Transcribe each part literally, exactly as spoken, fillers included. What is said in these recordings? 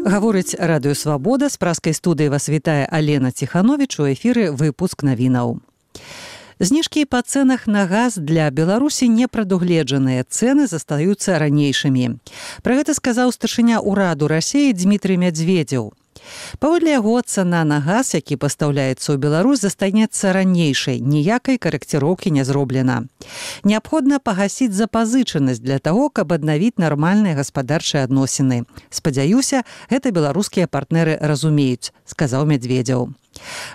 Гаворыць радыё «Свабода», з праскай студыі вас вітае Алена Ціхановіч, у эфіры выпуск навінаў. Зніжкі па цэнах на газ для Беларусі не прадугледжаныя, цэны застаюцца ранейшымі. Пра гэта сказаў старшыня ўраду Расіі Дмітрый Мядзведзеў. Паводле яго, цана на газ, які пастаўляецца ў Беларусь, застанецца ранейшай, ніякай карэкціроўкі не зроблена. Неабходна пагасіць запазычанасць для таго, каб аднавіць нармальныя гаспадарчыя адносіны. Спадзяюся, гэта беларускія партнеры разумеюць, сказаў Мядзведзеў.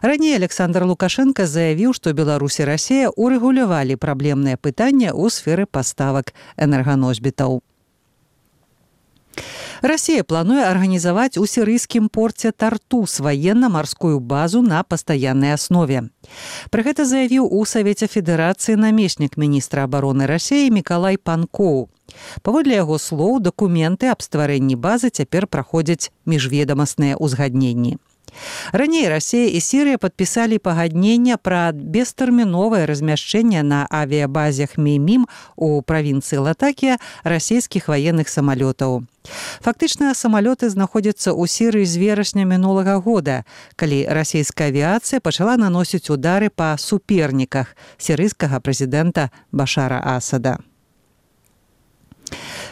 Раней Александр Лукашенко заявіў, што Беларусь і Расія урэгулявалі праблемнае пытанне ў сферы паставак энерганосьбітаў. Расія плануе арганізаваць у сірыйскім порце Тартус ваенна-марскую базу на пастаяннай аснове. Пра гэта заявіў у Савеце Федэрацыі намеснік міністра абароны Расіі Мікалай Панкоў. Паводле яго слоў, дакументы аб стварэнні базы цяпер праходзяць міжведамасныя ўзгадненні. Раней Расія і Сірыя падпісалі пагаднення пра бестэрміновае размяшчэнне на авіябазе Хмеймім у правінцыі Латакія расійскіх ваенных самалётаў. Фактычна, самалёты знаходзяцца ў Сірыі з верасня мінулага года, калі расійская авіяцыя пачала наносіць удары па суперніках сірыйскага прэзідэнта Башара Асада.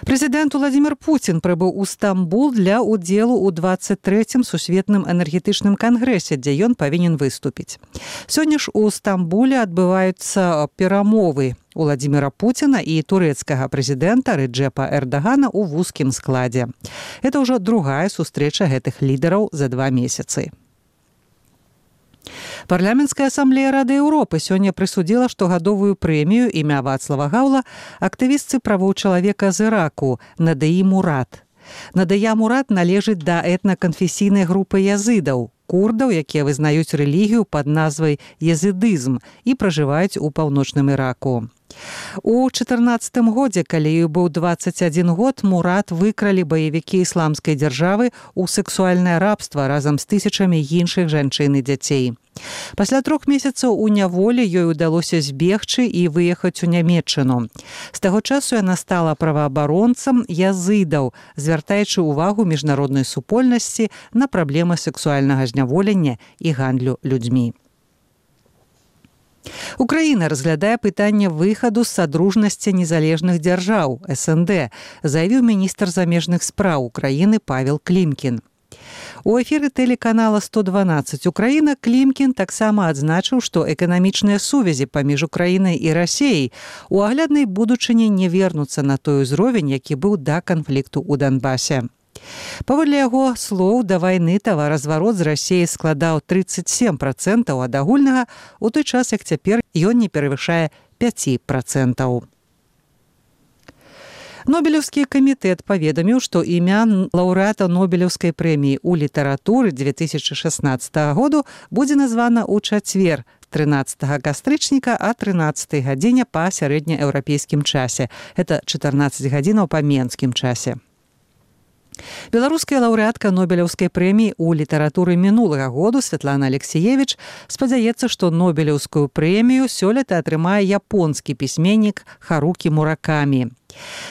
Прэзідэнт Уладзімір Пуцін прыбыў у Стамбул для ўдзелу ў дваццаць трэцім сусветным энергетычным кангрэсе, дзе ён павінен выступіць. Сёння ж у Стамбуле адбываюцца перамовы Уладзіміра Пуціна і турэцкага прэзідэнта Рэджэпа Эрдагана ў вузкім складзе. Гэта ўжо другая сустрэча гэтых лідараў за два месяцы. Парламенцкая асамблея Рады Еўропы сёння прысудзіла штогадовую прэмію імя Вацлава Гаўла актывістцы правоў чалавека з Іраку Надыі Мурат. Надыя Мурат належыць да этнаканфесійнай групы языдаў, курдаў, якія вызнаюць рэлігію пад назвай языдызм і пражываюць у паўночным Іраку. У чатырнаццатым годзе, калі ёй быў дваццаць адзін год, Мурат выкралі баевікі ісламскай дзяржавы ў сэксуальнае рабства разам з тысячамі іншых жанчын і дзяцей. Пасля трох месяцаў у няволі ёй удалося збегчы і выехаць у Нямецчыну. З таго часу яна стала праваабаронцам языдаў, звяртаючы ўвагу міжнароднай супольнасці на праблемы сэксуальнага зняволення і гандлю людзьмі. Украіна разглядае пытанне выхаду з садружнасці незалежных дзяржаў эс эн дэ, заявіў міністр замежных спраў Украіны Павел Клімкін. У эфіры тэлеканала сто дванаццаць Украіна Клімкін таксама адзначыў, што эканамічныя сувязі паміж Украінай і Расіяй у агляднай будучыні не вернуцца на той узровень, які быў да канфлікту ў Донбасе. Паводле яго слоў, да вайны таваразварот з Расіяй складаў трыццаць сем працэнтаў ад агульнага, у той час, як цяпер ён не перавышае пяць працэнтаў. Нобелеўскі камітэт паведаміў, што імя лаўрэата Нобелеўскай прэміі ў літаратуры две тысячы шаснаццатага году будзе названа ў чацвер, трынаццатага кастрычніка а трынаццатай гадзіне па сярэднееўрапейскім часе. Гэта чатырнаццаць гадзінаў па менскім часе. Беларуская лаўрэатка Нобелеўскай прэміі ў літаратуры мінулага году Святлана Алексіевіч спадзяецца, што Нобелеўскую прэмію сёлета атрымае японскі пісьменнік Харукі Муракамі.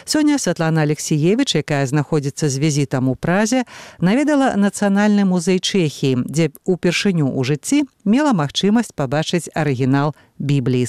Сёння Святлана Алексіевіч, якая знаходзіцца з візітам у Празе, наведала Нацыянальны музей Чэхіі, дзе ўпершыню ў жыцці мела магчымасць пабачыць арыгінал Бібліі.